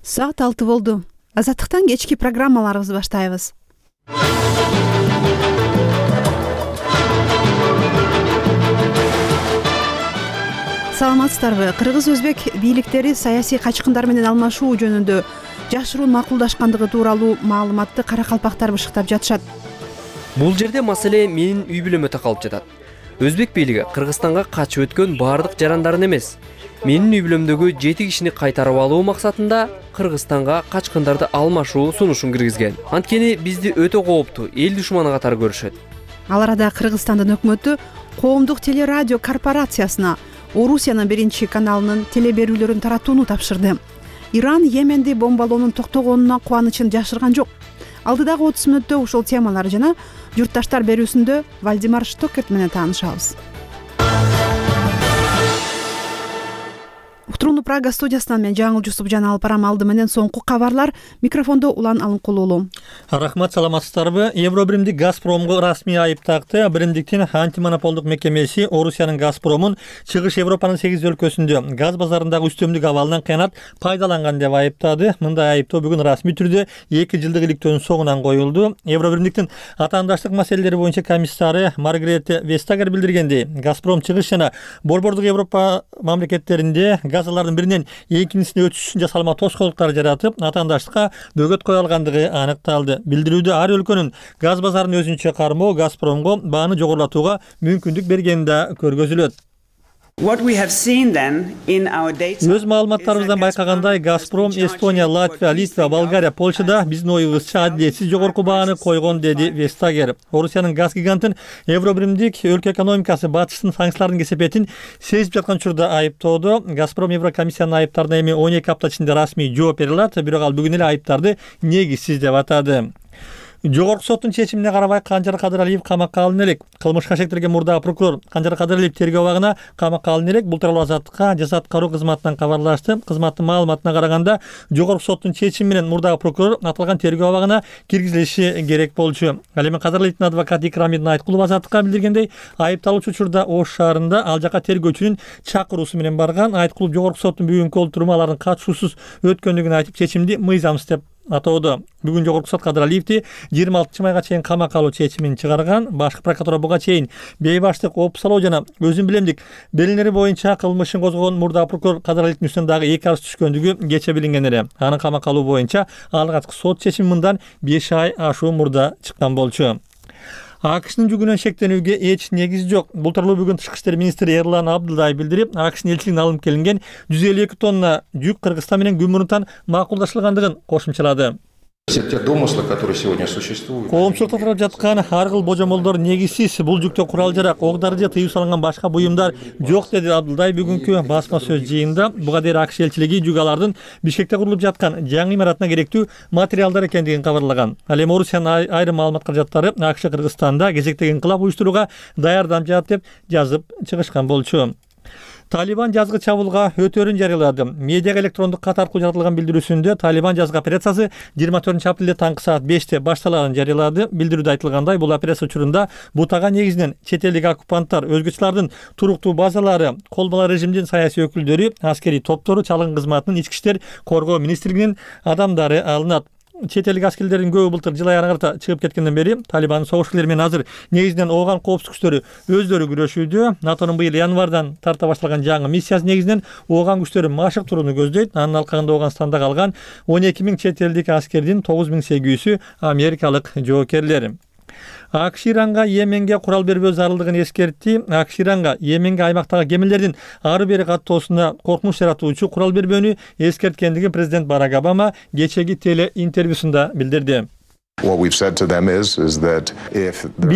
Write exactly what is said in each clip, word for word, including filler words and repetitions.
Саат алты болду. Азаттыктан кечки программаларыбызды баштайбыз. Саламатсыздарбы? Кыргыз-өзбек бийликтери саясий качкындар менен алмашуу жөнүндө жашыруун макулдашкандыгы тууралуу маалыматты каракалпактар бышыктап жатышат. Бул жерде маселе менин үй бүлөмө такалып жатат. Өзбек бийлиги Кыргызстанга качып өткөн баардык жарандарын эмес, менин үй бүлөмдөгү жети кишини кайтарып алуу максатында Кыргызстанга качкындарды алмашуу сунушун киргизген. Анткени бизди өтө кооптуу эл душманы катары көрүшөт. Ал арада Кыргызстандын өкмөтү коомдук телерадио корпорациясына Орусиянын биринчи каналынын телеберүүлөрүн таратууну тапшырды. Иран Йеменди бомбалоонун токтогонуна кубанычын жашырган жок. Алдыдагы отуз мүнөттө ушул темалар жана журтташтар берүүсүндө Вальдемар Штокерт менен таанышабыз. Уктурууну Прага студиясынан мен Жаңыл Жусупжан алып барам. Алды менен соңку кабарлар. Микрофондо Улан Алынкулуулу. Рахмат, саламатсыздарбы? Евробиримдик Газпромго расмий айып такты. Биримдиктин антимонополдук мекемеси Орусиянын Газпромун Чыгыш Европанын сегиз өлкөсүндө газ базарындагы үстөмдүк абалынан кыянат пайдаланган деп айыптады. Мындай айыптоо бүгүн расмий түрдө эки жылдык иликтөөнүн соңунан коюлду. Евробиримдиктин атаандаштык маселелери боюнча комиссары Маргарета Вестагер билдиргендей, Газпром Чыгыш жана Борбордук Европа мамлекеттеринде газалардын биринен экинчисине өтүш үчүн жасалма тоскоолдуктар жаратып, атаандаштыкка бөгөт кое алгандыгы аныкталды. Билдирүүдө ар өлкөнүн газ базарын өзүнчө кармоо Газпромго бааны жогорулатууга мүмкүндүк бергени да көргөзүлөт. Өз маалыматтарыбыздан байкагандай, Газпром Эстония, Латвия, Литва, Болгария, Польшада биздин оюбузча адилетсиз жогорку бааны койгон, деди Вестагер. Орусиянын газ гигантын Евробиримдик өлкө экономикасы батыштын санкциялардын кесепетин сезип жаткан учурда айыптоодо. Газпром Еврокомиссиянын айыптарына эми он эки апта ичинде расмий жооп бере алат, бирок ал бүгүн эле айыптарды негизсиз деп атады. Жогорку соттун чечимине карабай Канжар Кадыралиев камакка алына элек. Кылмышка шектелген мурдагы прокурор Канжар Кадыралиев тергөө абагына камакка алына элек. Бул тууралуу Азаттыкка жаза аткаруу кызматынан кабарлашты. Кызматтын маалыматына караганда, жогорку соттун чечими менен мурдагы прокурор аталган тергөө абагына киргизилиши керек болчу. Ал эми Кадыралиевдин адвокаты Икрамидин Айткулов Азаттыкка билдиргендей, айыпталуучу учурда Ош шаарында ал жака тергөөчүнүн чакыруусу менен барган. Айткулов жогорку соттун бүгүнкү олтуруму алардын катышуусуз өткөндүгүн айтып, чечимди мыйзамсыз деп атоодо. Бүгүн жогорку сот Кадыралиевди жыйырма алтынчы майга чейин камакка алуу чечимин чыгарган. Башкы прокуратура буга чейин бейбаштык, опусалоо жана өзүн билемдик белгилери боюнча кылмышын козгогон мурдагы прокурор Кадыралиевдин үстүнөн дагы эки арыз түшкөндүгү кече билинген эле. Анын камакка алуу боюнча алгачкы сот чечими мындан беш ай ашуу мурда чыккан болчу. АКШнын жүгүнөн шектенүүгө эч негиз жок. Бул тууралуу бүгүн Тышкы иштер министри Эрлан Абдылдаев билдирип, АКШнын элчилигине алынып келинген жүз элүү эки тонна жүк Кыргызстан менен күн мурунтан макулдашылгандыгын кошумчалады. Все те домыслы, которые сегодня существуют. Коомчулукта тарап жаткан ар кыл божомолдор негизсиз. Бул жүктө курал-жарак, ок-дары же тыюу салынган башка буюмдар жок, деди Абдылдаев бүгүнкү басма сөз жыйынында. Буга дейин АКШ элчилиги жүк алардын Бишкекте курулуп жаткан жаңы имаратына керектүү материалдар экендигин кабарлаган. Ал эми Орусиянын айрым маалымат каражаттары АКШ Кыргызстанда кезектеги инкылап уюштурууга даярданып жатат деп жазып чыгышкан болчу. Талибан жазгы чабуулга өтөрүн жарыялады. Медиага электрондук кат аркылуу жаратылган билдирүүсүндө Талибан жазгы операциясы жыйырма төртүнчү апрелде таңкы саат беште башталганын жарыялады. Билдирүүдө айтылгандай, бул операция учурунда бутага негизинен чет элдик оккупанттар, өзгөчөлөрдүн туруктуу базалары, колбала режимдин саясий өкүлдөрү, аскерий топтору, чалгын кызматынын, ички иштер, коргоо министрлигинин адамдары алынат. Чет элдик аскерлердин көбү былтыр жыл аягына карата чыгып кеткенден бери Талибандын согушчулары менен азыр негизинен ооган коопсуздук күчтөрү өздөрү күрөшүүдө. НАТОнун быйыл январдан тарта башталган жаңы миссиясы негизинен ооган күчтөрү машыктырууну көздөйт. Анын алкагында Ооганстанда калган он эки миң чет элдик аскердин тогуз миң сегиз жүзү америкалык жоокерлер. АКШ Иранга Йеменге курал бербөө зарылдыгын эскертти. АКШ Иранга Йеменге аймактагы кемелердин ары бери каттоосуна коркунуч жаратуучу курал бербөөнү эскерткендигин президент Барак Обама кечеги теле интервьюсунда билдирди. Биз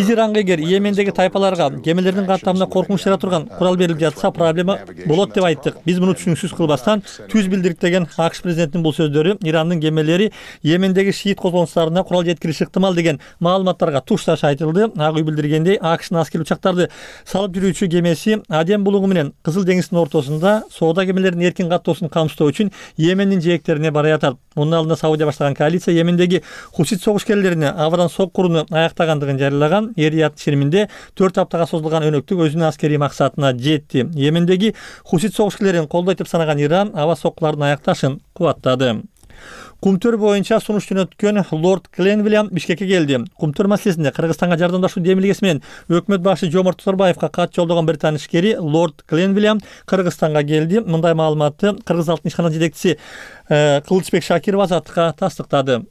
Иранга эгер Йемендеги тайпаларга кемелердин каттамына коркунуч жарата турган курал берилип жатса, проблема болот деп айттык. Биз муну түшүнүксүз кылбастан түз билдирик, деген АКШ президентинин бул сөздөрү Ирандын кемелери Йемендеги шиит козголоңчуларына курал жеткириши ыктымал деген маалыматтарга тушташ айтылды. Ак үй билдиргендей, АКШнын аскер учактарды салып жүрүүчү кемеси Аден булугу менен Кызыл деңиздин ортосунда соода кемелеринин эркин каттоосун камсыздоо үчүн Йемендин жээктерине бара жатат. Мунун алдында Саудия баштаган коалиция Йемендеги хусит согушкерлерине абадан соккуруну аяктагандыгын жарыялаган. Эрият шериминде төрт аптага созулган өнөктүк өзүнүн аскерий максатына жетти. Йемендеги хусит согушкерлерин колдойт деп санаган Иран аба соккулардын аякташын кубаттады. Кумтөр боюнча сунуш жөнөткөн лорд Кленвилям Бишкекке келди. Кумтөр маселесинде Кыргызстанга жардамдашуу демилгеси менен өкмөт башы Жомарт Тоторбаевга кат жолдогон британ ишкери лорд Кленвилям Кыргызстанга келди. Мындай маалыматты Кыргыз алтын ишкана жетекчиси Кылычбек Шакиров Азаттыкка тастыктады.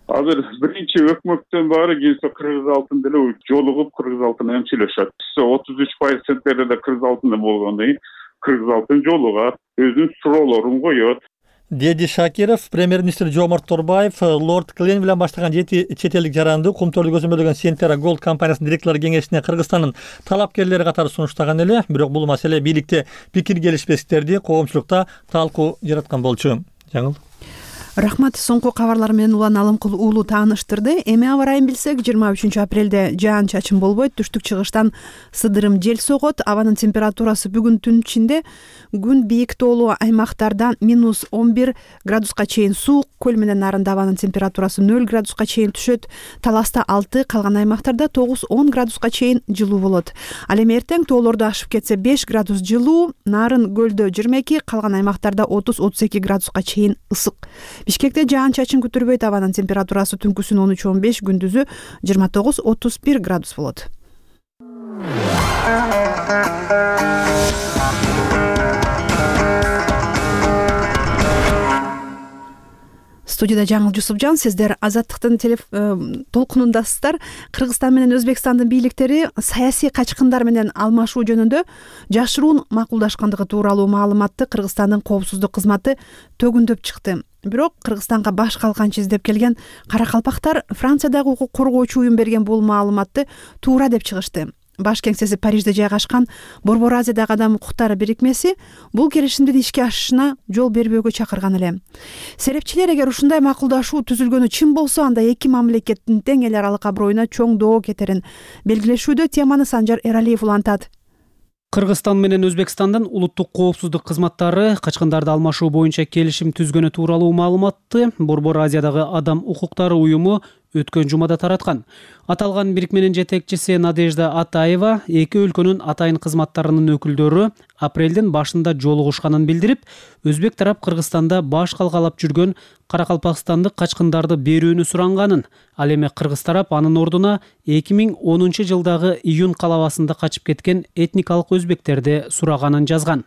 Азыр биринчи өкмөттөн баары келсе Кыргыз алтын деле жолугуп Кыргыз алтын эмчилешет. отуз үч пайыз центнерде Кыргыз алтын болгондон кийин Кыргыз алтын жолугат, өзүнүн суроолорун коет. Деди Шакиров, премьер-министр Жомарт Тоторбаев лорд Кленвилям баштаган жети чет элдик жаранды Кумтөрдү көзөмөлдөгөн Сентера Голд компаниясынын директорлор кеңешине Кыргызстандын талапкерлери катары сунуштаган эле, бирок бул маселе бийликте пикир келишпестиктерди коомчулукта талкуу жараткан болчу. Жаңыл. Рахмат, соңку кабарлар менен Улан Алымкул уулу тааныштырды. Эми аба ырайын билсек, жыйырма үчүнчү апрелде жаан чачын болбойт, түштүк чыгыштан сыдырым жел согот. Абанын температурасы бүгүн түн ичинде күн бийик тоолуу аймактардан минус он бир градуска чейин суук, көл менен нарында абанын температурасы нөл градуска чейин түшөт. Таласта алты, калган аймактарда тогуз он градуска чейин жылуу болот. Ал эми эртең тоолорду ашып кетсе беш градус жылуу, нарын көлдө жыйырма эки, калган аймактарда отуз отуз эки градуска чейин ысык. Бишкекте жаан чачын күтүрбөйт, абанын температурасы түнкүсүн он үч он беш, күндүзү жыйырма тогуз отуз бир градус болот. Студияда Жаңыл Жусупжан, сиздер Азаттыктын толкунундасыздар. Кыргызстан менен Өзбекстандын бийликтери саясий качкындар менен алмашуу жөнүндө жашыруун макулдашкандыгы тууралуу маалыматты Кыргызстандын коопсуздук кызматы төгүндөп чыкты. Бирок Кыргызстанга баш калканчы издеп келген каракалпактар Франциядагы укук коргоочу уюм берген бул маалыматты туура деп чыгышты. Баш кеңсеси Парижде жайгашкан Борбор Азиядагы адам укуктары бирикмеси бул келишимдин ишке ашышына жол бербөөгө чакырган эле. Серепчилер эгер ушундай макулдашуу түзүлгөнү чын болсо, анда эки мамлекеттин тең эл аралык аброюна чоң доо кетерин белгилешүүдө. Теманы Санжар Эралиев улантат. Кыргызстан менен Өзбекстандын улуттук коопсуздук кызматтары качкындарды алмашуу боюнча келишим түзгөнү тууралуу маалыматты Борбор Азиядагы адам укуктары уюму өткөн жумада тараткан. Аталган бирикменин жетекчиси Надежда Атаева эки өлкөнүн атайын кызматтарынын өкүлдөрү апрелдин башында жолугушканын билдирип, Өзбек тарап Кыргызстанда баш калкалап жүргөн каракалпакстандык качкындарды берүүнү суранганын, ал эми Кыргыз тарап анын ордуна эки миң онунчу жылдагы июнь калабасында качып кеткен этникалык өзбектерди сураганын жазган.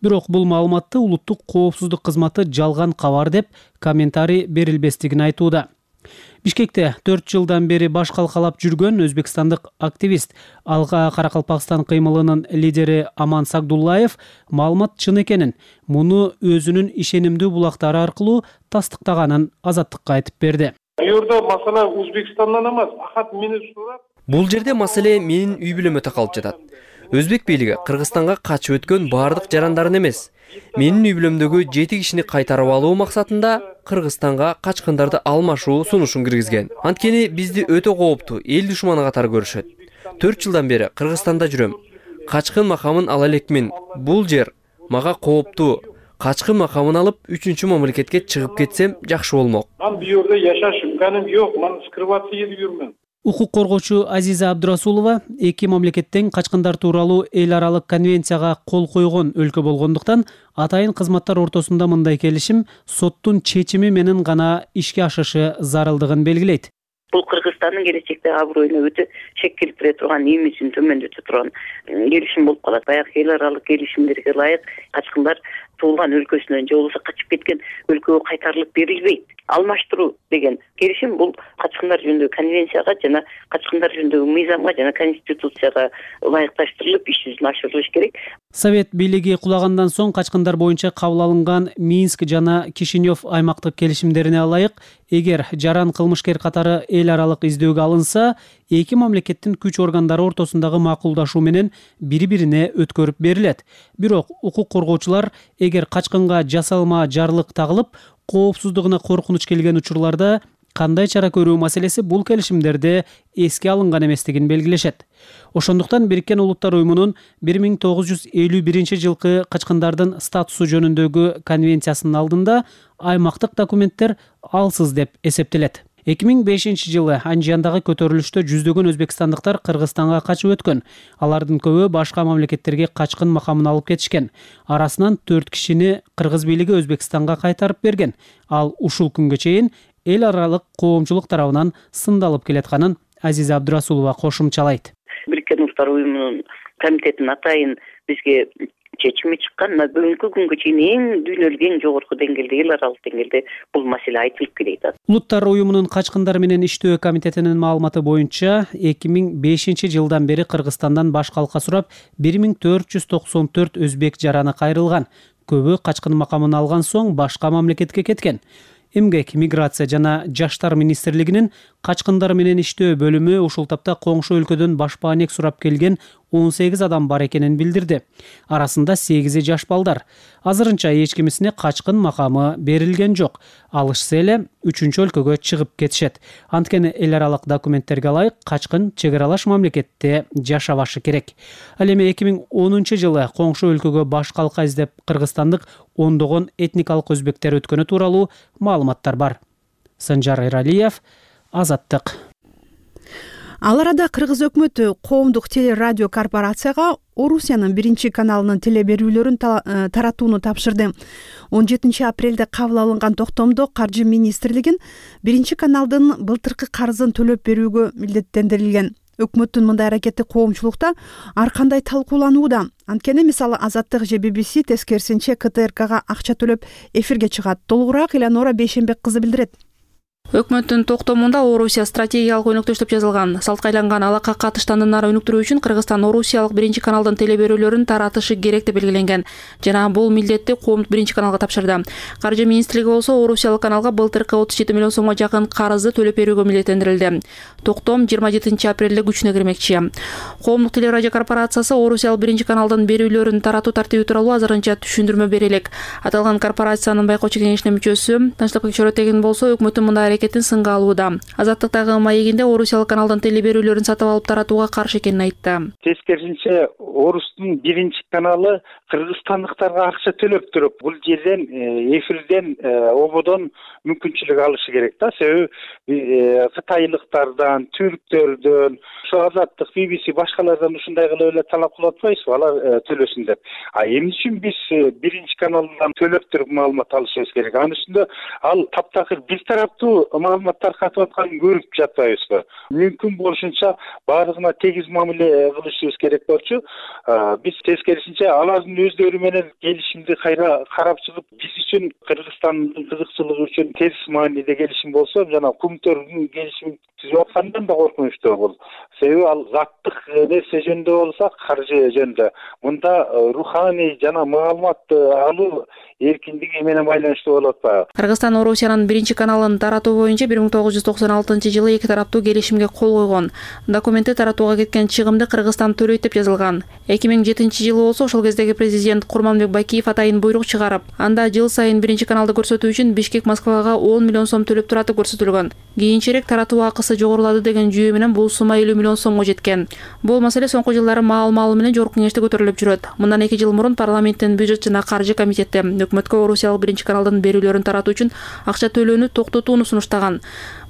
Бирок бул маалыматты улуттук коопсуздук кызматы жалган кабар деп комментарий берилбестигин айтууда. Бишкекте төрт жылдан бери баш калкалап жүргөн өзбекстандык активист, Алга Каракалпакстан кыймылынын лидери Аман Сагдуллаев маалымат чын экенин, муну өзүнүн ишенимдүү булактары аркылуу тастыктаганын Азаттыкка айтып берди. Юрда масала Өзбекстандан эмес, акат мени сурап. Бул жерде маселе менин үй бүлөмө такалып жатат. Өзбек бийлиги Кыргызстанга качып өткөн баардык жарандарын эмес, менин үй бүлөмдөгү жети кишини кайтарып алуу максатында Кыргызстанга качкындарды алмашуу сунушун киргизген. Анткени бизди өтө кооптуу эл душманы катары көрүшөт. төрт жылдан бери Кыргызстанда жүрөм. Качкын макамын ала элекмин. Бул жер мага кооптуу. Качкын макамын алып үчүнчү мамлекетке чыгып кетсем жакшы болмок. Мен бу жерде жашаш имканым жок, мен скрываться этип жүрмүн. Укук коргоочу Азиза Абдурасулова эки мамлекеттен качкындар тууралуу эл аралык конвенцияга кол койгон өлкө болгондуктан атайын кызматтар ортосунда мындай келишим соттун чечими менен гана ишке ашышы зарылдыгын белгилейт. Бул Кыргызстандын келечекте аброюна өтө шек келтире турган, имиджин төмөндөтө турган келишим болуп калат. Баягы эл аралык келишимдерге ылайык качкындар туулган өлкөсүнөн же болбосо качып кеткен өлкөгө кайтарылып берилбейт. Алмаштыруу деген келишим бул качкындар жөнүндөгү конвенцияга жана качкындар жөнүндөгү мыйзамга жана конституцияга ылайыкташтырылып иш жүзүнө ашырылыш керек. Совет бийлиги кулагандан соң качкындар боюнча кабыл алынган Минск жана Кишинев аймактык келишимдерине ылайык, эгер жаран кылмышкер катары эл аралык издөөгө алынса, эки мамлекеттин күч органдары ортосундагы макулдашуу менен бири-бирине өткөрүп берилет. Бирок укук коргоочулар эгер качкынга жасалма жарлык тагылып, коопсуздугуна коркунуч келген учурларда кандай чара көрүү маселеси бул келишимдерде эске алынган эместигин белгилешет. Ошондуктан Бириккен Улуттар уюмунун бир миң тогуз жүз элүү биринчи жылкы качкындардын статусу жөнүндөгү конвенциясынын алдында аймактык документтер алсыз деп эсептелет. эки миң бешинчи жылы Анжияндагы көтөрүлүштө жүздөгөн өзбекстандыктар Кыргызстанга качып өткөн. Алардын көбү башка мамлекеттерге качкын макамын алып кетишкен. Арасынан төрт кишини кыргыз бийлиги Өзбекстанга кайтарып берген. Ал ушул күнгө чейин эл аралык коомчулук тарабынан сындалып келатканын Азиза Абдурасулова кошумчалайт. Бириккен Улуттар уюмунун комитетинин атайын бизге чечими чыккан. Бүгүнкү күнгө чейин эң дүйнөлүк эң жогорку деңгээлде, эл аралык деңгээлде бул маселе айтылып келет. Улуттар уюмунун качкындар менен иштөө комитетинин маалыматы боюнча эки миң бешинчи жылдан бери Кыргызстандан баш калка сурап бир миң төрт жүз токсон төрт өзбек жараны кайрылган. Көбү качкын макамын алган соң башка мамлекетке кеткен. Эмгек, миграция жана жаштар министрлигинин качкындар менен иштөө бөлүмү ушул тапта коңшу өлкөдөн башпаанек сурап келген он сегиз адам бар экенин билдирди. Арасында сегизи жаш балдар. Азырынча эч кимисине качкын макамы берилген жок. Алышса эле үчүнчү өлкөгө чыгып кетишет. Анткени эл аралык документтерге ылайык качкын чек аралаш мамлекетте жашабашы керек. Ал эми эки миң онунчу жылы коңшу өлкөгө баш калка издеп кыргызстандык ондогон этникалык өзбектер өткөнү тууралуу маалыматтар бар. Санжар Эралиев, Азаттык. Ал арада Кыргыз өкмөтү коомдук телерадио корпорацияга Орусиянын биринчи каналынын телеберүүлөрүн таратууну тапшырды. он жетинчи апрелде кабыл алынган токтомдо Каржы министрлигин биринчи каналдын былтыркы карызын төлөп берүүгө милдеттендирилген. Өкмөттүн мындай аракети коомчулукта ар кандай талкууланууда. Анткени мисалы Азаттык же би би си тескерисинче ка тэ эр кага акча төлөп эфирге чыгат. Толугураак Элеонора Бейшенбек кызы билдирет. Өкмөттүн токтомунда Орусия стратегиялык өнөктөштүк деп жазылган. Салткайланган алака катыштандыктарын өнүктүрүү үчүн Кыргызстан Орусиялык биринчи каналдын телеберүүлөрүн таратышы керек деп белгиленген. Жана бул милдетти коомдук биринчи каналга тапшырды. Каржы министрлиги болсо Орусиялык каналга былтыркы отуз жети миллион сомго жакын карызды төлөп берүүгө милдеттендирилди. Токтом жыйырма жетинчи апрелде күчүнө кирмекчи. Коомдук телерадио корпорациясы Орусиялык биринчи каналдын берүүлөрүн таратуу тартиби тууралуу азырынча түшүндүрмө бере элек. Аталган корпорациянын байкоочу кеңешинин мүчөсү Тынчтык Чоротегин болсо өкмөттүн мындай аракетин сынга алууда. Азаттыктагы маегинде Орусиялык каналдын телеберүүлөрүн сатып алып таратууга каршы экенин айтты. Тескерисинче Орустун биринчи каналы кыргызстандыктарга акча төлөп туруп, бул жерден эфирден ободон мүмкүнчүлүк алышы керек да. Себеби кытайлыктардан, түрктөрдөн, Азаттык, би би си башкалардан ушундай кылып эле талап кылып атпайбызбы, алар төлөсүн деп. А эмне үчүн биз биринчи каналдан төлөп туруп маалымат алышыбыз керек? Анын үстүндө ал таптакыр бир тараптуу маалыматтар катып атканын көрүп жатпайбызбы? Мүмкүн болушунча баардыгына тегиз мамиле кылышыбыз керек болчу. Биз тескерисинче алардын өздөрү менен келишимди кайра карап чыгып, биз үчүн Кыргызстандын кызыкчылыгы үчүн терс мааниде келишим болсо, жана Кумтөрдүн келишим түзүп аткандан да коркунучтуу бул. Себеби ал заттык нерсе жөнүндө болсо, каржы жөнүндө. Мында руханий жана маалымат алуу эркиндиги менен байланыштуу болуп атпайбы? Кыргызстан Орусиянын биринчи каналын таратуу боюнча бир миң тогуз жүз токсон алтынчы жылы эки тараптуу келишимге кол койгон. Документте таратууга кеткен чыгымды Кыргызстан төлөйт деп жазылган. эки миң жетинчи жылы болсо ошол кездеги президент Курманбек Бакиев атайын буйрук чыгарып, анда жыл сайын биринчи каналды көрсөтүү үчүн Бишкек Москвага он миллион сом төлөп тураты көрсөтүлгөн. Кийинчерээк таратуу акысы жогорулады деген жүйө менен бул сумма элүү миллион сомго жеткен. Бул маселе соңку жылдары маал-маалы менен жогорку кеңеште көтөрүлүп жүрөт. Мындан эки жыл мурун парламенттин бюджет жана каржы комитети өкмөткө Орусиялык биринчи каналдын берүүлөрүн таратуу үчүн акча төлөөнү токтотууну сунуштаган.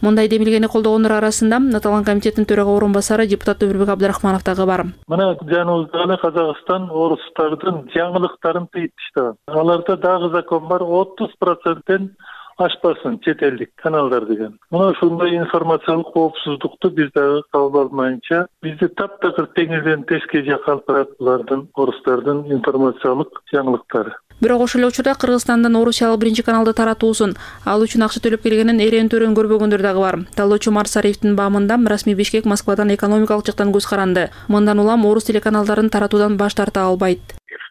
Мындай демилгени колдогондор арасында аталган комитеттин төрага орун басары депутат Өмүрбек Абдрахманов дагы бар. Мына жаныбызда эле Казакстан орустардын жаңылыктарын тыйыпташтаган. Аларда дагы закон бар, отуз проценттен ашпасын чет элдик каналдар деген. Мына ушундай информациялык коопсуздукту биз дагы кабыл алмайынча, бизди таптакыр теңирден теске жакка алып барат булардын орустардын информациялык жаңылыктары. Бирок ошол эле учурда Кыргызстандан Орусиялык биринчи каналды таратуусун ал үчүн акча төлөп келгенин эрен-төрөн көрбөгөндөр дагы бар. Талоочу Марсариевдин баамында расмий Бишкек Москвадан экономикалык жактан көз каранды. Мындан улам орус телеканалдарын таратуудан баш тарта албайт.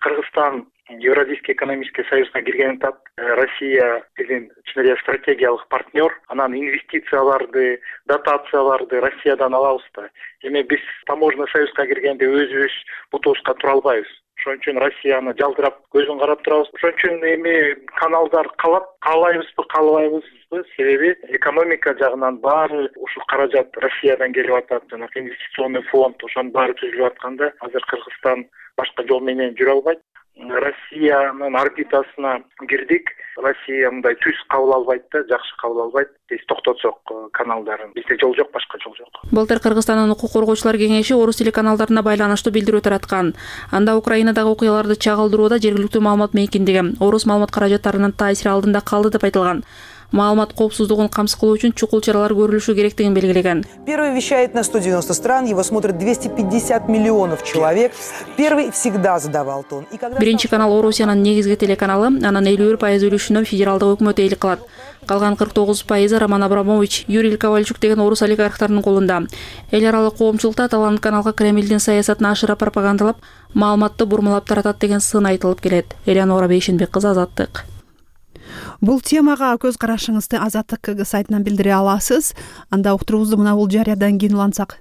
Кыргызстан Евразийский экономический союзга киргенин тап, Россия биздин чын эле стратегиялык партнер, анан инвестицияларды, дотацияларды Россиядан алабыз да. Эми биз таможенный союзга киргенде өзүбүз бутубузга тура албайбыз. Ошон үчүн Россияны жалдырап көзүн карап турабыз. Ошон үчүн эми каналдар калат, каалайбызбы, каалабайбызбы? Себеби экономика жагынан баары ушул каражат Россиядан келип атат, жана инвестиционный фонд ошонун баары түзүлүп атканда, азыр Кыргызстан башка жол менен жүрө албайт. Россиянын орбитасына кирдик. Россия мындай түз кабыл албайт да, жакшы кабыл албайт. Биз токтотсок каналдарын, бизде жол жок, башка жол жок. Былтыр Кыргызстандын укук коргоочулар кеңеши орус тили каналдарына байланыштуу билдирүү тараткан. Анда Украинадагы окуяларды чагылдырууда жергиликтүү маалымат мейкиндиги орус маалымат каражаттарынын таасири алдында калды деп айтылган. Маалымат коопсуздугун камсыз кылуу үчүн чукул чаралар көрүлүшү керектигин белгилеген. Первый вещает на сто девяносто стран, его смотрит двести пятьдесят миллионов человек. Первый всегда задавал тон. Биринчи канал Орусиянын негизги телеканалы, анын элүү бир пайыз үлүшүнө федералдык өкмөт ээлик кылат. Калган кырк тогуз пайызы Роман Абрамович, Юрий Ковальчук деген орус олигархтарынын колунда. Эл аралык коомчулукта аталган каналга Кремлдин саясатын ашыра пропагандалап, маалыматты бурмалап таратат деген сын айтылып келет. Элеонора Бейшенбек кызы, Азаттык. Бул темага көз карашыңызды Азаттык КГ сайтынан билдире аласыз. Анда уктуруубузду мына бул жарыядан кийин улантсак.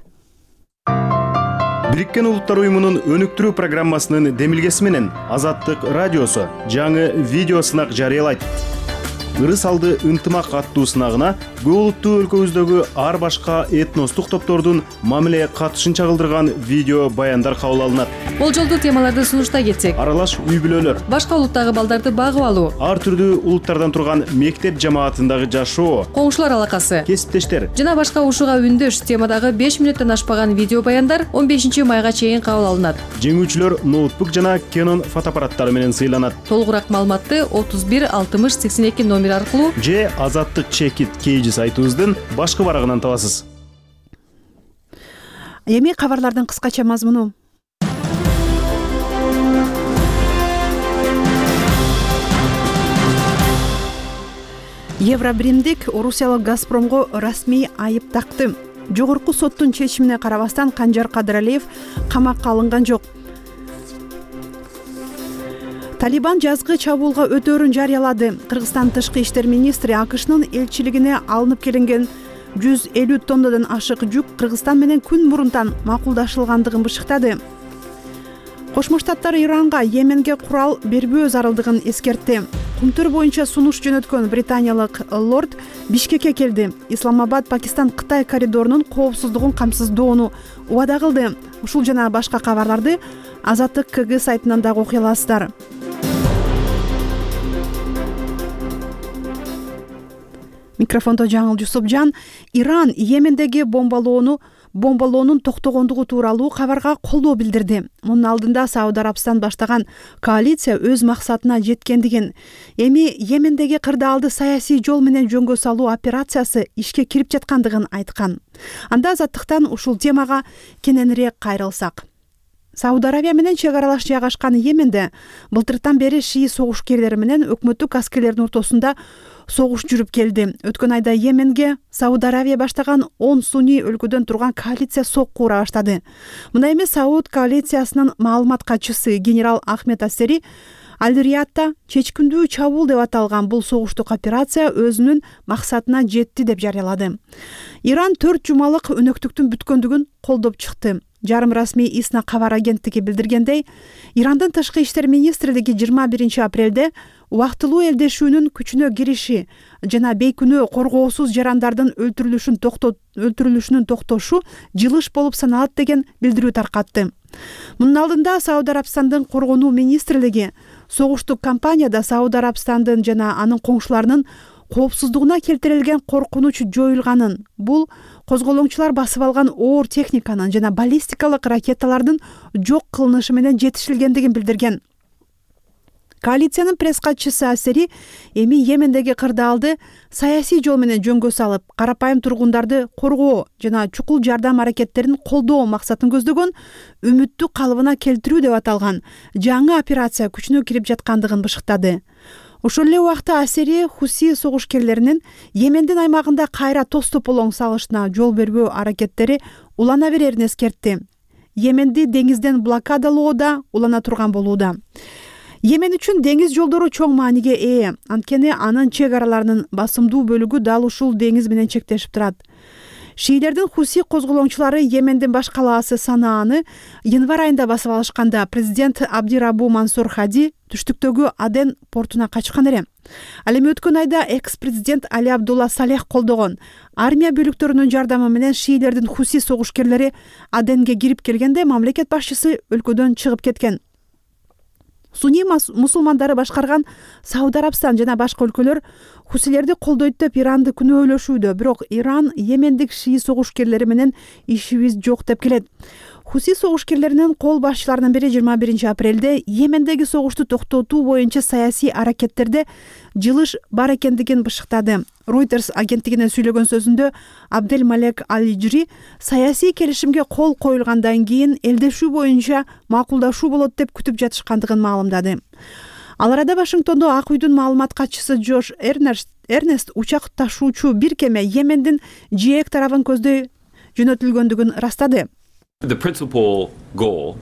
Бириккен Улуттар уюмунун өнүктүрүү программасынын демилгеси менен Азаттык радиосу жаңы видео сынак жарыялайт. Ырыс алды ынтымак аттуу сынагына көп улуттуу өлкөбүздөгү ар башка этностук топтордун мамиле катышын чагылдырган видео баяндар кабыл алынат. Болжолдуу темаларды сунуштай кетсек, аралаш үй бүлөлөр, башка улуттагы балдарды багып алуу, ар түрдүү улуттардан турган мектеп жамаатындагы жашоо, коңшулар алакасы, кесиптештер жана башка ушуга үндөш темадагы беш мүнөттөн ашпаган видео баяндар он бешинчи майга чейин кабыл алынат. Жеңүүчүлөр ноутбук жана Canon фотоаппараттары менен сыйланат. Толугураак маалыматты отуз бир алтымыш сексен эки номер аркылуу же Азаттык чекит кейжи сайтыбыздын башкы барагынан табасыз. Эми кабарлардын кыскача мазмуну. Евробиримдик Орусиялык Газпромго расмий айып такты. Жогорку соттун чечимине карабастан Канжар Кадыралиев камакка алынган жок. Талибан жазгы чабуулга өтөөрүн жарыялады. Кыргызстан тышкы иштер министри АКШнын элчилигине алынып келинген жүз элүү тоннадан ашык жүк Кыргызстан менен күн мурунтан макулдашылгандыгын бышыктады. Кошмо Штаттар Иранга Йеменге курал бербөө зарылдыгын эскертти. Кумтөр боюнча сунуш жөнөткөн британиялык лорд Бишкекке келди. Исламабад Пакистан Кытай коридорунун коопсуздугун камсыздоону убада кылды. Ушул жана башка кабарларды Азаттык КГ сайтынан дагы окуй аласыздар. Микрофондо Жаңыл Жусупжан. Иран Йемендеги бомбалоону бомбалоонун токтогондугу тууралуу кабарга колдоо билдирди. Мунун алдында Сауд Арабстан баштаган коалиция өз максатына жеткендигин, эми Йемендеги кырдаалды саясий жол менен жөнгө салуу операциясы ишке кирип жаткандыгын айткан. Анда Азаттыктан ушул темага кененирээк кайрылсак. Сауд Арабия менен чек аралаш жайгашкан Йеменде былтыртан бери шии согушкерлери менен өкмөттүк аскерлердин ортосунда согуш жүрүп келди. Өткөн айда Йеменге Сауд Арабия баштаган он сунний өлкөдөн турган коалиция сокку ура баштады. Мына эми Сауд коалициясынын маалымат катчысы генерал Ахмед Ассери Аль-Риядда чечкиндүү чабуул деп аталган бул согуштук операция өзүнүн максатына жетти деп жарыялады. Иран төрт жумалык өнөктүктүн бүткөндүгүн колдоп чыкты. Жарым расмий ИСНА кабар агенттиги билдиргендей, Ирандын тышкы иштер министрлиги жыйырма биринчи апрелде убактылуу элдешүүнүн күчүнө кириши жана бейкүнөө коргоосуз жарандардын өлтүрүлүшүн токтот өлтүрүлүшүнүн токтошу жылыш болуп саналат деген билдирүү таркатты. Мунун алдында Сауд Арабстандын коргонуу министрлиги согуштук кампанияда Сауд Арабстандын жана анын коңшуларынын коопсуздугуна келтирилген коркунуч жоюлганын, бул козголоңчулар басып алган оор техниканын жана баллистикалык ракеталардын жок кылынышы менен жетишилгендигин билдирген. Коалициянын пресс катчысы Ассери эми Йемендеги кырдаалды саясий жол менен жөнгө салып, карапайым тургундарды коргоо жана чукул жардам аракеттерин колдоо максатын көздөгөн үмүттү калыбына келтирүү деп аталган жаңы операция күчүнө кирип жаткандыгын бышыктады. Ошол эле убакта Ассери Хуси согушкерлеринин Йемендин аймагында кайра тоз тополоң салышына жол бербөө аракеттери улана берерин эскертти. Йеменди деңизден блокадалоо да улана турган болууда. Йемен үчүн деңиз жолдору чоң мааниге ээ, анткени анын чек араларынын басымдуу бөлүгү дал ушул деңиз менен чектешип турат. Шиилердин Хуси козголоңчулары Йемендин баш калаасы Санааны январь айында басып алышканда президент Абдирабу Мансур Хади түштүктөгү Аден портуна качкан эле. Ал эми өткөн айда экс-президент Али Абдулла Салех колдогон армия бөлүктөрүнүн жардамы менен шиилердин Хуси согушкерлери Аденге кирип келгенде мамлекет башчысы өлкөдөн чыгып кеткен. Суни мусулмандары башкарган Сауд Арабстан жана башка өлкөлөр хусилерди колдойт деп Иранды күнөөлөшүүдө, бирок Иран Йемендик шии согушкерлери менен ишибиз жок деп келет. Хуси согушкерлеринин кол башчыларынын бири жыйырма биринчи апрелде Йемендеги согушту токтотуу боюнча саясий аракеттерде жылыш бар экендигин бышыктады. Reuters агенттигине сүйлөгөн сөзүндө Абдель Малек Аль-Ижри саясий келишимге кол коюлгандан кийин элдешүү боюнча макулдашуу болот деп күтүп жатышкандыгын маалымдады. Ал арада Вашингтондо Ак үйдүн маалымат катчысы Джош Эрнест, Эрнест учак ташуучу бир кеме Йемендин жээк тарабын көздөй жөнөтүлгөндүгүн растады. The principal goal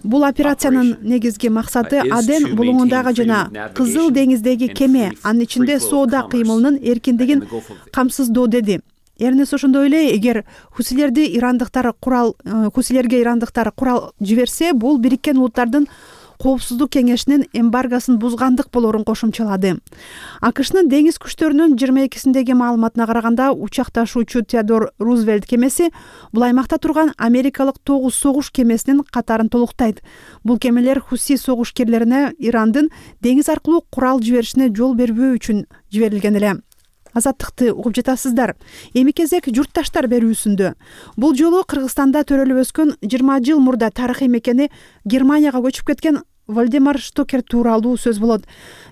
Бул операциянын негизги максаты Аден булуңундагы жана Кызыл деңиздеги кеме, анын ичинде соода кыймылынын эркиндигин камсыздоо деди. Эрнес ошондой эле, эгер хусилерди ирандыктар курал хусилерге ирандыктар курал жиберсе, бул Бириккен Улуттардын Коопсуздук кеңешинин эмбаргосын бузгандык болорун кошумчалады. АКШнын деңиз күчтөрүнүн жыйырма экисиндеги маалыматына караганда, учак ташуучу Теодор Рузвельт кемеси бул аймакта турган америкалык тогуз согуш кемесинин катарын толуктайт. Бул кемелер Хуси согушкерлерине Ирандын деңиз аркылуу курал жиберишине жол бербөө үчүн жиберилген эле. Азаттыкты угуп жатасыздар. Эми кезек журтташтар берүүсүндө. Бул жолу Кыргызстанда төрөлүп өскөн жыйырма жыл мурда тарыхый мекени Германияга көчүп кеткен Вальдемар Штокер тууралуу сөз болот.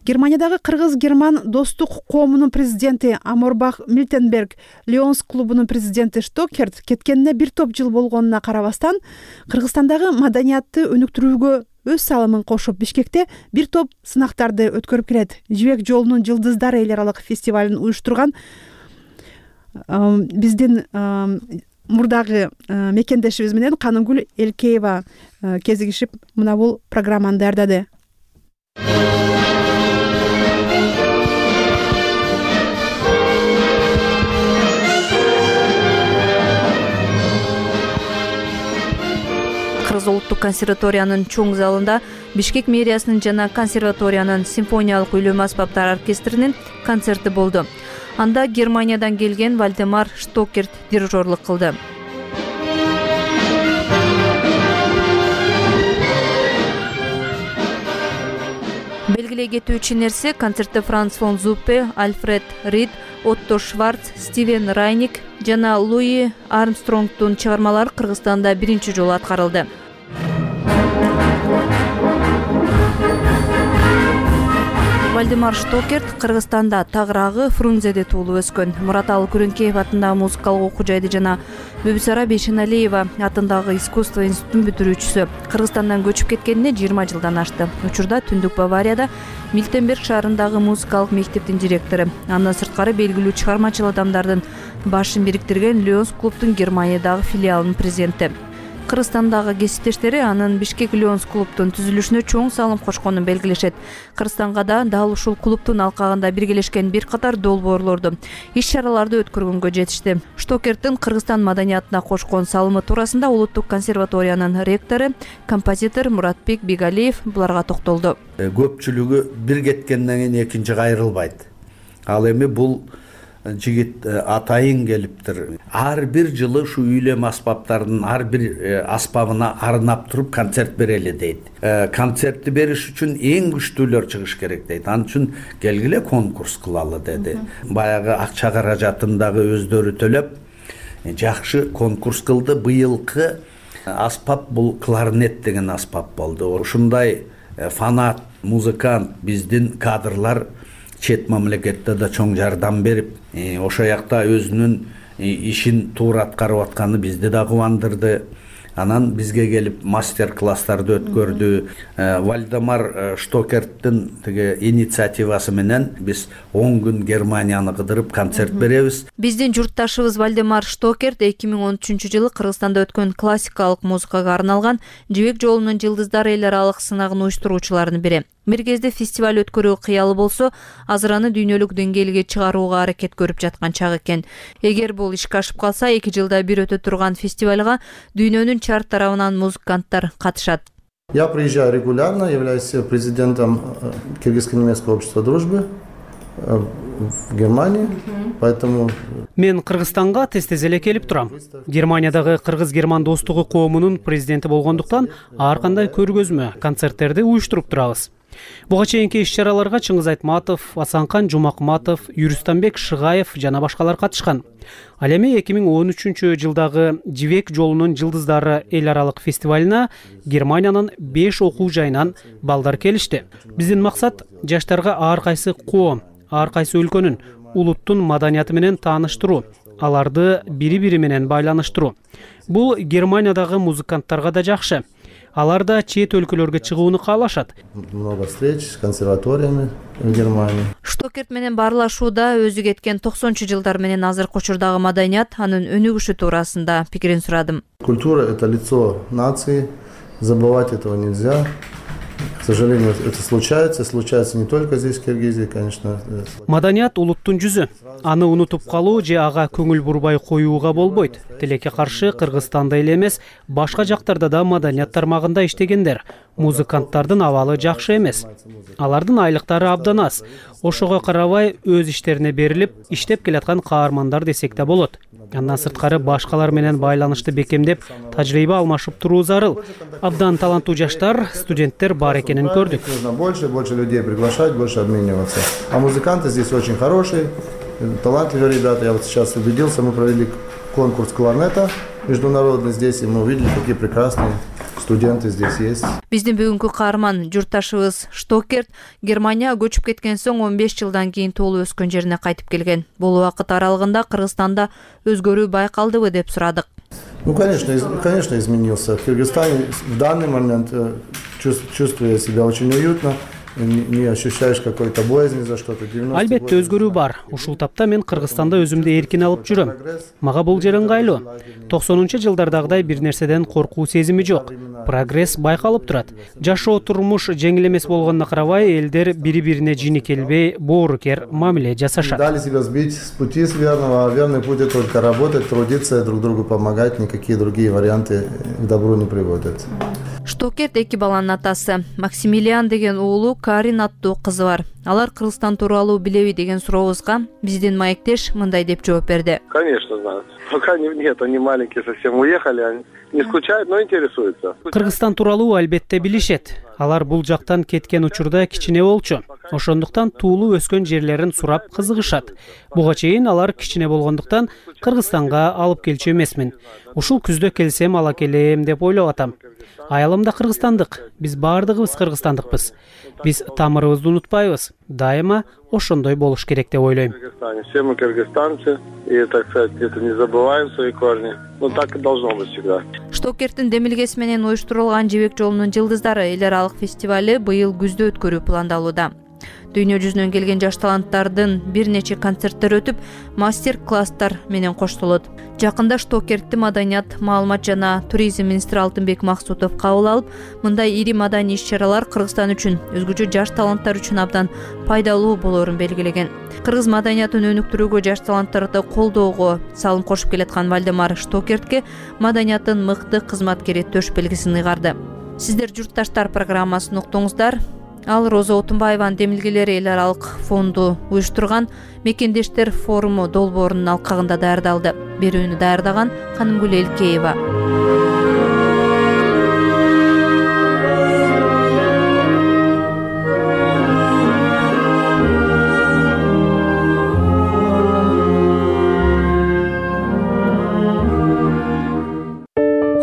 Германиядагы кыргыз-герман достук коомунун президенти Аморбах Мильтенберг, Лионс клубунун президенти Штокерт кеткенине бир топ жыл болгонуна карабастан, Кыргызстандагы маданиятты өнүктүрүүгө өз салымын кошуп, Бишкекте бир топ сынактарды өткөрүп келет. Жибек жолунун жылдыздары эл аралык фестивалын уюштурган биздин мурдагы мекендешибиз менен Канымгүл Элкеева кезигишип мына бул программаны даярдады. Кыргыз улуттук консерваториянын чоң залында Бишкек мэриясынын жана консерваториянын симфониялык үйлөмө аспаптар оркестринин концерти болду. Анда Германиядан келген Вальдемар Штокерт дирижерлук кылды. Белгилей кетүүчү нерсе, концертте Франц фон Зуппе, Альфред Рид, Отто Шварц, Стивен Райник жана Луи Армстронгдун чыгармалары Кыргызстанда биринчи жолу аткарылды. Вальдемар Штокерт Кыргызстанда Тагыраагы Фрунзеде туулуп өскөн. Мураталы Күрөңкеев атындагы музыкалык окуу жайды жана Бүбүсара Бейшеналиева атындагы искусство институтун бүтүрүүчүсү. Кыргызстандан көчүп кеткенине жыйырма жылдан ашты. Учурда Түндүк Баварияда Мильтенберг шаарындагы музыкалык мектептин директору. Андан сырткары белгилүү чыгармачыл адамдардын башын бириктирген Лионс клубдун Германиядагы филиалынын президенти. Кыргызстандагы кесиптештери анын Бишкек Лионс клубдун түзүлүшүнө чоң салым кошконун белгилешет. Кыргызстанга да дал ушул клубдун алкагында биргелешкен бир катар долбоорлорду, иш-чараларды өткөргөнгө жетишти. Штокерттин Кыргызстан маданиятына кошкон салымы туурасында Улуттук консерваториянын ректору, композитор Муратбек Бигалиев буларга токтолду. Көпчүлүгү бир кеткенден кийин экинчи кайрылбайт. Ал эми бул жигит атайын келиптир. Ар бир жылы ушу үйлөм аспаптарынын ар бир аспабына арнап туруп концерт берели дейт. Концертти бериш үчүн эң күчтүүлөр чыгыш керек дейт. Анын үчүн келгиле конкурс кылалы деди. Баягы акча каражатын дагы өздөрү төлөп жакшы конкурс кылды. Быйылкы аспап бул кларнет деген аспап болду. Ушундай фанат, музыкант, биздин кадрлар чет мамлекетте да чоң жардам берип, ошо жакта өзүнүн ишин туура аткарып атканы бизди да кубандырды. Анан бизге келип мастер-класстарды өткөрдү. Вальдемар Штокерттин тиги инициативасы менен биз он күн Германияны кыдырып концерт беребиз. Биздин журтташыбыз Вальдемар Штокерт эки миң он үчүнчү жылы Кыргызстанда өткөн классикалык музыкага арналган Жибек жолунун жылдыздары эл аралык сынагын уюштуруучулардын бири. Бир кезде фестиваль өткөрүү кыялы болсо, азыр аны дүйнөлүк деңгээлге чыгарууга аракет көрүп жаткан чак экен. Эгер бул ишке ашып калса, эки жылда бир өтө турган фестивалга дүйнөнүн чарт тарабынан музыканттар катышат. Я приезжаю регулярно, являюсь президентом Кыргызско-немецкого общества дружбы. в Германии, поэтому... Мен Кыргызстанга тез-тез эле келип турам. Германиядагы кыргыз-герман достугу коомунун президенти болгондуктан ар кандай көргөзмө, концерттерди уюштуруп турабыз. Буга чейинки иш-чараларга Чыңгыз Айтматов, Асанкан Жумакматов, Юрустамбек Шыгаев жана башкалар катышкан. Ал эми эки миң он үчүнчү жылдагы Жибек жолунун жылдыздары эл аралык фестивалына Германиянын беш окуу жайынан балдар келишти. Биздин максат жаштарга ар кайсы коом, ар кайсы өлкөнүн, улуттун маданияты менен тааныштыруу, аларды бири-бири менен байланыштыруу. Бул Германиядагы музыканттарга да жакшы. Алар да чет өлкөлөргө чыгууну каалашат. Много встреч с консерваториями в Германии. Штокерт менен баарлашууда өзү кеткен токсонунчу жылдар менен азыркы учурдагы маданият, анын өнүгүшү туурасында пикирин сурадым. Культура — это лицо нации, забывать этого нельзя. К сожалению, это случается, случается не только здесь, в Киргизии, конечно. Маданият улуттун жүзү. Аны унутуп калуу же ага көңүл бурбай коюуга болбойт. Тилекке каршы Кыргызстанда эле эмес, башка жактарда да маданият тармагында иштегендер. Музыканттардын абалы жакшы эмес. Алардын айлыктары абдан аз. Ошого карабай өз иштерине берилип, иштеп келаткан каармандар десек да болот. Андан сырткары башкалар менен байланышты бекемдеп, тажрыйба алмашып туруу зарыл. Абдан таланттуу жаштар, студенттер бар экенин көрдүк. Нужно больше, больше людей приглашать, больше обмениваться. А музыканты здесь очень хорошие, талантливые ребята. Я вот сейчас убедился, мы провели конкурс кларнета международный здесь, и мы увидели, какие прекрасные студенты здесь есть. Биздин бүгүнкү каарман журтташыбыз Штокерт Германия көчүп кеткен соң он беш жылдан кийин туулуп өскөн жерине кайтып келген. Бул убакыт аралыгында Кыргызстанда өзгөрүү байкалдыбы деп сурадык. Ну, конечно, конечно, изменился. В Кыргызстане в данный момент чувствую себя очень уютно. Не ощущаешь какой-то боязни за что-то. Албетте өзгөрүү бар. Ушул тапта мен Кыргызстанда өзүмдү эркин алып жүрөм. Мага бул жер ыңгайлуу. токсонунчу жылдардагыдай бир нерседен коркуу сезими жок. Прогресс байкалып турат. Жашоо турмуш жеңил эмес болгонуна карабай, элдер бири-бирине жини келбей, боорукер мамиле жасашат. Дали себя сбить с пути с верного, а верный путь — это только работать, трудиться, друг другу помогать. Никакие другие варианты к добру не приводят. Штокерт эки баланын атасы. Максимилиан деген уулу, Карин аттуу кызы бар. Алар Кыргызстан тууралуу билеби деген сурообузга биздин маектеш мындай деп жооп берди. Конечно, знают. Пока нет, они маленькие совсем уехали, они не скучают, но интересуются. Кыргызстан тууралуу албетте билишет. Алар бул жактан кеткен учурда кичине болчу. Ошондуктан туулуп өскөн жерлерин сурап кызыгышат. Буга чейин алар кичине болгондуктан Кыргызстанга алып келчү эмесмин. Ушул күздө келсем ала келем деп ойлоп атам. Аялым да кыргызстандык. Биз баардыгыбыз кыргызстандыкпыз. Биз тамырыбызды унутпайбыз. Дайыма ошондой болуш керек деп ойлойм. Все мы кыргызстанцы, и, так сказать, это не забываем свои корни. Ну так и должно быть всегда. Штокерттин демилгеси менен уюштурулган Жибек жолунун жылдыздары эл аралык фестивали быйыл күздө өткөрүү пландалууда. Дүйнө жүзүнөн келген жаш таланттардын бир нече концерттер өтүп, мастер-класстар менен коштолот. Жакында Штокертти маданият, маалымат жана туризм министри Алтынбек Максутов кабыл алып, мындай ири маданий иш-чаралар Кыргызстан үчүн, өзгөчө жаш таланттар үчүн абдан пайдалуу болоорун белгилеген. Кыргыз маданиятын өнүктүрүүгө, жаш таланттарды колдоого салым кошуп келаткан Вальдемар Штокертке маданияттын мыкты кызматкери төш белгисин ыйгарды. Сиздер журтташтар программасын уктуңуздар. Ал Роза Отунбаеванын демилгелери эл аралык фонду уюштурган Мекендештер форуму долбоорунун алкагында даярдалды. Берүүнү даярдаган Канымгүл Элкеева.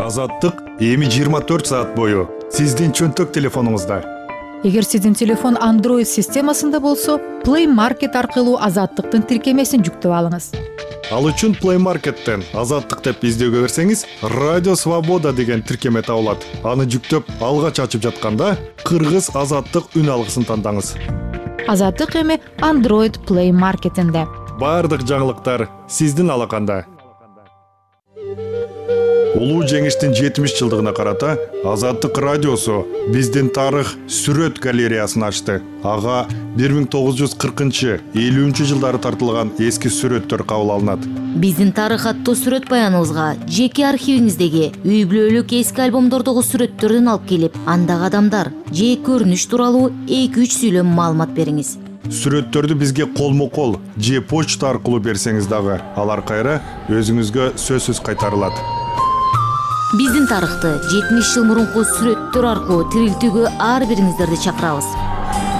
Азаттык эми жыйырма төрт саат бою сиздин чөнтөк телефонуңузда. Эгер сиздин телефон Android системасында болсо, Play Market аркылуу Азаттыктын тиркемесин жүктөп алыңыз. Ал үчүн Play Market'тен Азаттык деп издөөгө берсеңиз, Радио Свобода деген тиркеме табылат. Аны жүктөп, алгач ачып жатканда, Кыргыз Азаттык үн алгысын тандаңыз. Азаттык эми Android Play Market'инде. Бардык жаңылыктар сиздин алаканда. Улуу жеңиштин жетимиш жылдыгына карата Азаттык радиосу биздин тарых сүрөт галереясын ачты. Ага бир миң тогуз жүз кыркынчы элүүнчү жылдары тартылган эски сүрөттөр кабыл алынат. Биздин тарых аттуу сүрөт баяныбызга жеке архивиңиздеги үй бүлөлүк эски альбомдордогу сүрөттөрдөн алып келип, андагы адамдар же көрүнүш тууралуу эки үч сүйлөм маалымат бериңиз. сүрөттөрдү бизге колмо кол же почта аркылуу берсеңиз дагы алар кайра өзүңүзгө сөзсүз кайтарылат. Биздин тарыхты жетимиш жыл мурунку сүрөттөр аркылуу тирилтүүгө ар бириңиздерди чакырабыз.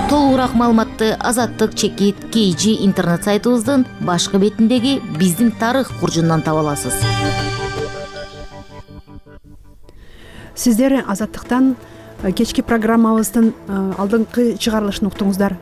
Толугураак маалыматты Азаттык чекит кей жи интернет сайтыбыздын башкы бетиндеги биздин тарых куржундан таба аласыз. Сиздер Азаттыктан кечки программабыздын алдыңкы чыгарылышын уктуңуздар.